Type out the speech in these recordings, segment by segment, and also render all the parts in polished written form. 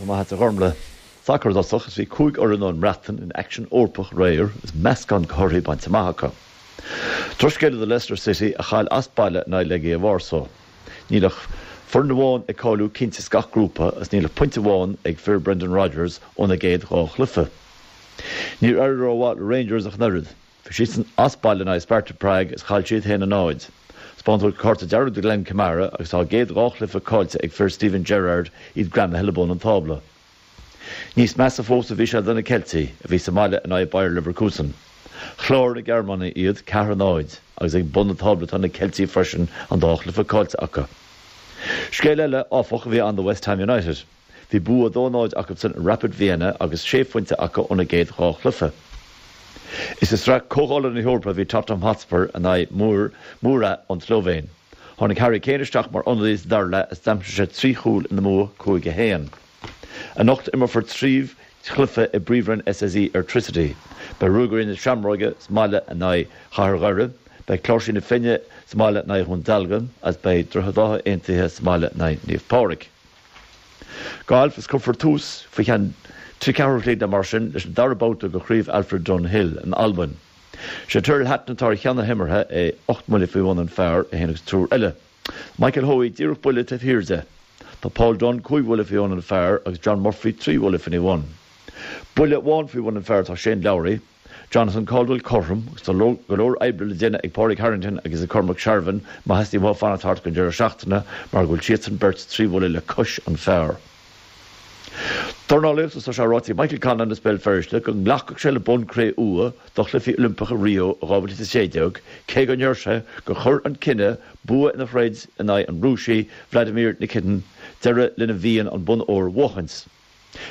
Tá maith agat a Ghormlaith. Sacar i dtosach is bhí 5 fhoireann ón mBreatain in aicsean Eorpach aréir is meascán de thorthaí bainte amach acu. Drochscéala do Leicester City a chaill as baile in aghaidh Legia Warsaw. Níl ach foireann amháin ag cáiliú cinnte as gach grúpa is níl ach pointe amháin ag fir Brendan Rodgers óna gcéad dhá chluiche. Níor éirigh rómhaith le Rangers ach an oiread. Bhí siadsan as baile in aghaidh Sparta Prague is chaill siad 1-0. Taispeánadh cárta dearg do Glenn Kamara agus tá a gcéad dhá chluiche caillte ag fir Steven Gerrard, iad greamaithe le bun an tábla. Níos measa fós a bhí sé do na Ceiltigh, a bhí sa mbaile in aghaidh Bayer Leverkusen. Chláraigh na Gearmánaigh iad, 4-0, agus ag bun an tábla atá na Ceiltigh freisin, an dá chluiche caillte acu. Scéal eile, áfach, a bhí ann do West Ham United. Bhí bua 2-0 acusan ar Rapid Vienna agus sé phointe acu óna gcéad dhá chluiche. Is i Sraith Comhdhála na hEorpa a bhí Tottenham Hotspur in aghaidh Mura ón tSlóivéin. Tháinig Harry Kane isteach mar ionadaí sa dara leath is d'aimsigh sé trí chúl ina mbua 5-1. Anocht imreofar trí chluiche i bPríomhroinn SSE Airtricity. Beidh Ruagairí na Seamróige sa mbaile in aghaidh Chathair Dhoire, beidh Cláirsí na Finne sa mbaile in aghaidh Dhún Dealgan agus beidh Droichead Átha Aontaithe sa mbaile in aghaidh Naomh Pádraig. Galf is cuirfear tús faoi cheann trí ceathrú a chloig nó mar sin leis an dara babhta de Chraobh Alfred Dunhill in Albain. Sé Tyrrell Hatton atá ar cheann na himeartha, é 8 mbuille faoi bhun an phar, é féin agus triúr eile. Michael Hoey díreach buille taobh thiar de. Tá Paul Dunne 5 bhuille faoi bhun an phar agus John Murphy 3 bhuille faoina bhun. Buille amháin faoi bhun an phar atá Shane Lowry. Jonathan Caldwell cothrom agus tá go leor oibre le déanamh ag Pádraig Harrington agus ag Cormac Sharvin má theastaíonn uathu fanacht thart don deireadh seachtaine mar go bhfuil siadsan beirt 3 bhuille le cois an phar. Dornálaíocht is tá sé ráite ag Michael Conlan as Béal Feirste go nglacfadh sé le bonn cré-umha do Chluichí Oilimpeacha Rio 2016 cé go ndeir sé gur chuir an cinneadh bua ina throid in aghaidh an Rúisigh Vladimir Nikitin deireadh lena mhian an bonn óir a bhuachaint.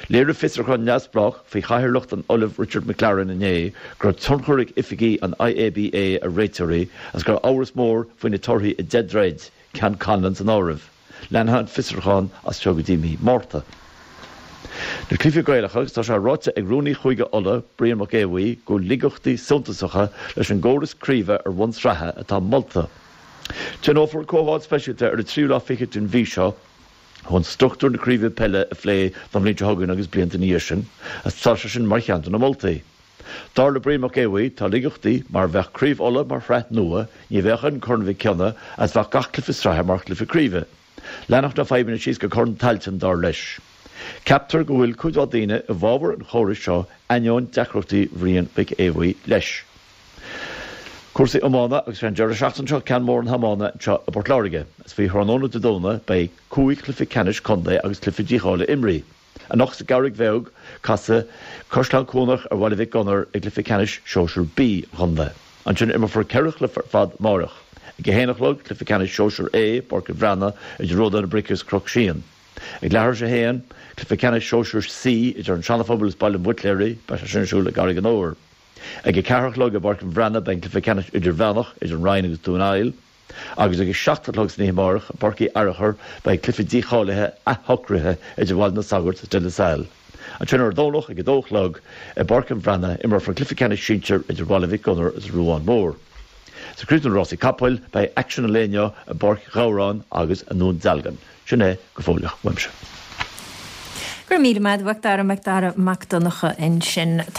Léirigh fiosrúchán neamhspleách faoi chathaoirleacht an Ollaimh Richard McLaren inné go raibh tionchar ag oifigigh an IABA ar réiteoirí agus go raibh amhras mór faoi na torthaí i 10 dtroid, ceann Conlan san áireamh. Leanfaidh an fiosrúchán as seo go dtí mí Márta. Na Cluichí Gaelacha agus tá sé ráite ag rúnaí Chúige Uladh, Brian Mac Aodha Bhuí, go bhfuil laigeachtaí suntasacha leis an gcóras craoibhe ar bhonn sraithe atá molta. Tionólfar comhdháil speisialta ar an tríú lá fichead den mhí seo chun struchtúr na craoibhe peile a phlé don bhliain seo chugainn agus blianta ina dhiaidh sin, agus tá sé sin mar cheann de na moltaí. Dar le Brian Mac Aodha Bhuí, tá laigeachtaí mar bheadh Craobh Uladh mar shraith nua, ní bheadh ann Corn Mhic Cionnaith agus bheadh gach cluiche sraithe mar chluiche craoibhe. Leanfadh na fadhbanna síos go Corn Tailteann, dar leis. Ceaptar go bhfuil cuid mhaith daoine i bhfabhar an chórais seo ainneoin deacrachtaí Bhriain Mhic Aodha Bhuí leis. Cúrsaí iomána agus sé an deireadh seachtaine seo ceann mór na hiomána anseo i bPort Láirge. Is faoi thráthnóna Dé Domhnaigh beidh cúig chluiche ceannais contae agus cluiche dícháilithe imrithe. Anocht sa gCarraig Bheag casfaidh Caisleán Cuanach ar Bhaile Mhic Gonair i gcluiche ceannais Sóisear B an chontae. Ansin imreofar ceithre chluiche ar fad amáireach. Ag a haon a chlog, cluiche ceannais Sóisear A i bPáirc an Bhreathnaigh idir Ródán na Brice agus Cnoc Síon. Ag leathuair tar éis a haon, cluiche ceannais Sóisear C idir an Seana-Phobal is Baile an Bhuitléaraigh, beidh sé sin ar siúl i gCarraig an Fhómhair. Ag a ceathair a chlog i bPáirc an Bhreathnaigh beidh an cluiche ceannais idirmheánach idir an Rinn agus Dún Aill agus ag a 7 a chlog san oíche amárach i bPáirc Uí Fhearachair beidh cluiche dícháilithe athshocraithe idir Bhaile na Sagart is De La Salle. Ansin ar an Domhnach ag a dó a chlog i bPáirc an Bhreathnaigh imreofar an cluiche ceannais sinsir idir Bhaile Mhic Gonair is an Ruán Mór. Sa chríochnú na rásaí capaill beidh aicsean an lae inniu i bPáirc Ghabhráin agus i nDún Dealgan. Sin é go fóilleach uaimse. Go raibh míle maith agat a Mhac Dara, Mac Dara Mac Donncha ansin.